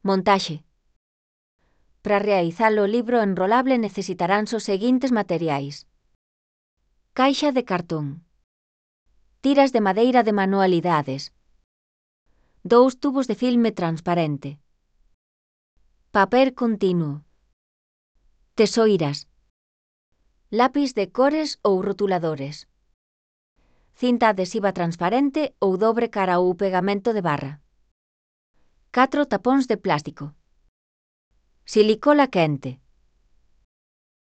Montaxe. Para realizar o libro enrolable necesitaránse os seguintes materiais: caixa de cartón, tiras de madeira de manualidades, 2 tubos de filme transparente, papel continuo, tesoiras, lápis de cores ou rotuladores, cinta adhesiva transparente ou dobre cara ou pegamento de barra, 4 tapóns de plástico, silicola quente,